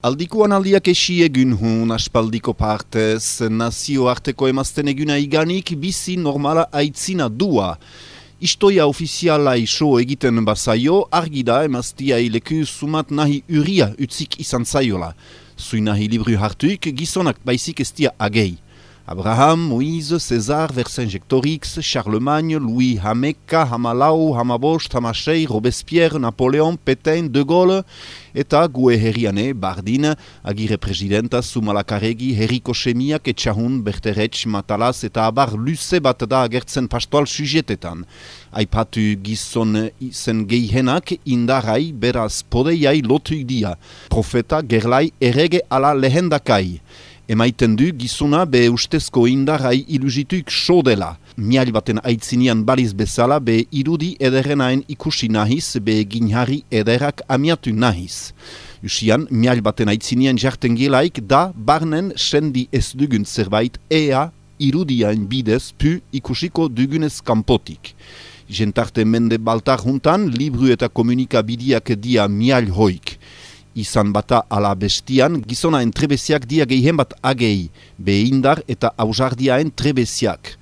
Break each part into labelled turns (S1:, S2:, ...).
S1: Aldikoan aldiak egun hun aspaldiko partez, nazioarteko emazten eguna iganik bizi normala aitzina dua. Istoia ofiziala iso egiten bazaio, argi da emaztiai leku sumat nahi uria utzik izan zaiola. Zui nahi libru hartuik gizonak baizik estia agei. Abraham, Moïse, César, Vercingétorix, Charlemagne, Louis Hameka, Hamalau, Hamabost, Hamasei, Robespierre, Napoleon, Petain, De Gaulle, eta gue herriane, Bardin, agire presidenta, Zumalakaregi, Herriko Semiak, Etxahun, Berteretx, Matalaz, eta abar luze bat da agertzen pastoal sujetetan. Aipatu gizon izen gehienak indarai beraz podeiai lotuik dia. Profeta, gerlai, errege ala lehendakai. Emaiten du gizuna be ustezko indarrai ilusituik so dela. Mial baten aitzinian baliz bezala be irudi ederrenaen ikusi nahiz be ginharri ederrak amiatu nahiz. Usian, mial baten aitzinian jarten gelaik da barnen sendi ez dugun zerbait ea irudiain bidez pu ikusiko dugunez kanpotik. Jentarte mende baltar juntan libru eta komunikabideak dia mial hoik. Izan bata ala bestian, gizonaen trebeziak dia gehien bat agei, behindar eta ausardiaen trebeziak.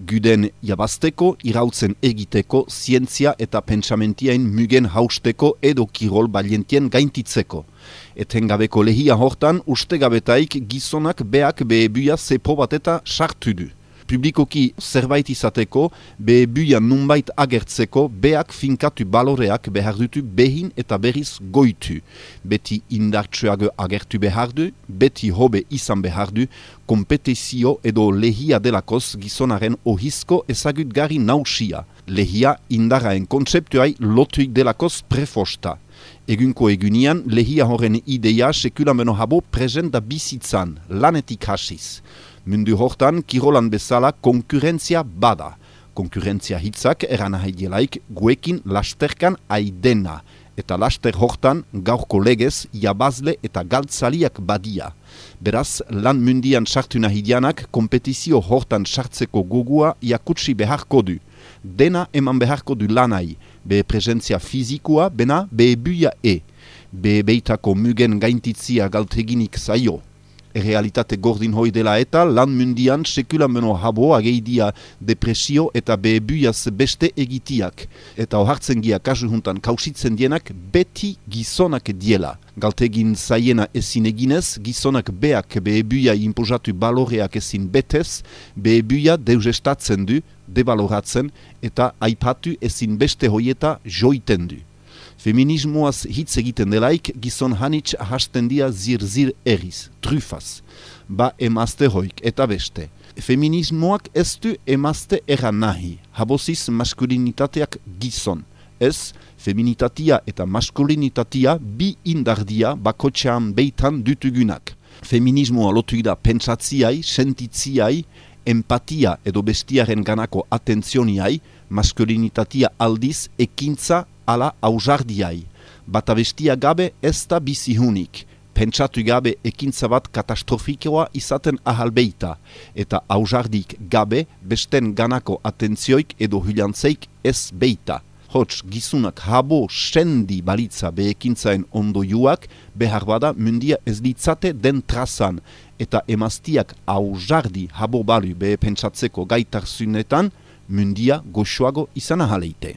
S1: Guden jabazteko, irautzen egiteko, zientzia eta pentsamentiaen mugen hausteko edo kirol balientien gaintitzeko. Etengabeko lehia hortan, ustegabetaik gizonak beak behebuia zepo bat eta sartu du. Publikoki zerbait izateko, behebuia nunbait agertzeko, beak finkatu baloreak behar dutu behin eta berriz goitu. Beti indartsuago agertu behar du, beti hobe izan behar du, kompetizio edo lehia delakoz gizonaren ohizko ezagutgarri nausia. Lehia indaraen kontzeptuai lotuik delakoz prefosta. Egunko egunian, lehia horren ideia sekulameno habo presenta bizitzan, lanetik hasiz. Mundu hortan, kirolan bezala konkurrentzia bada. Konkurrentzia hitzak eranahaielaik guekin lasterkan aidena. Eta laster hortan, gaurko legez, jabazle eta galtzaliak badia. Beraz, lan mundian sartu nahidianak, kompetizio hortan sartzeko gogua jakutsi beharko du. Dena eman beharko du lanai, be presentzia fizikoa, bena be buia be beitako mugen gaintitzia galteginik zaio. Realitate gordin hoi dela eta lan mundian sekulameno habo ageidia depresio eta behebuiaz beste egitiak. Eta ohartzen gia kasu juntan kausitzen dienak beti gizonak diela. Galtegin zaiena ezin eginez, gizonak beak behebuia inpozatu baloreak ezin betez, behebuia deusestatzen du, debaloratzen eta aipatu ezin beste hoieta joiten du. Feminismoaz hitz egiten delaik, gizon hanitz hasten dia zir eriz, trufaz. Ba emazte hoik eta beste. Feminismoak ez du emazte eran nahi, haboziz maskulinitateak gizon. Ez, feminitatia eta maskulinitatia bi indardia bakotxean beitan dutugunak. Feminismoa lotuik da pentsatziai, sentitziai, empatia edo bestiaren ganako atentzioniai, maskulinitatia aldiz ekintza ala ausardiai. Bata bestia gabe ez da bizihunik. Pentsatu gabe ekintza bat katastrofikoa izaten ahalbeita. Eta ausardik gabe besten ganako atentzioik edo hilantzeik ez beita. Hots gizunak habo sendi balitza be ekintzaen ondoiuak behar bada mundia ez ditzate den trazan. Eta emaztiak ausardi habo balu be pentsatzeko gaitarzunetan mundia goxoago izan ahaleite.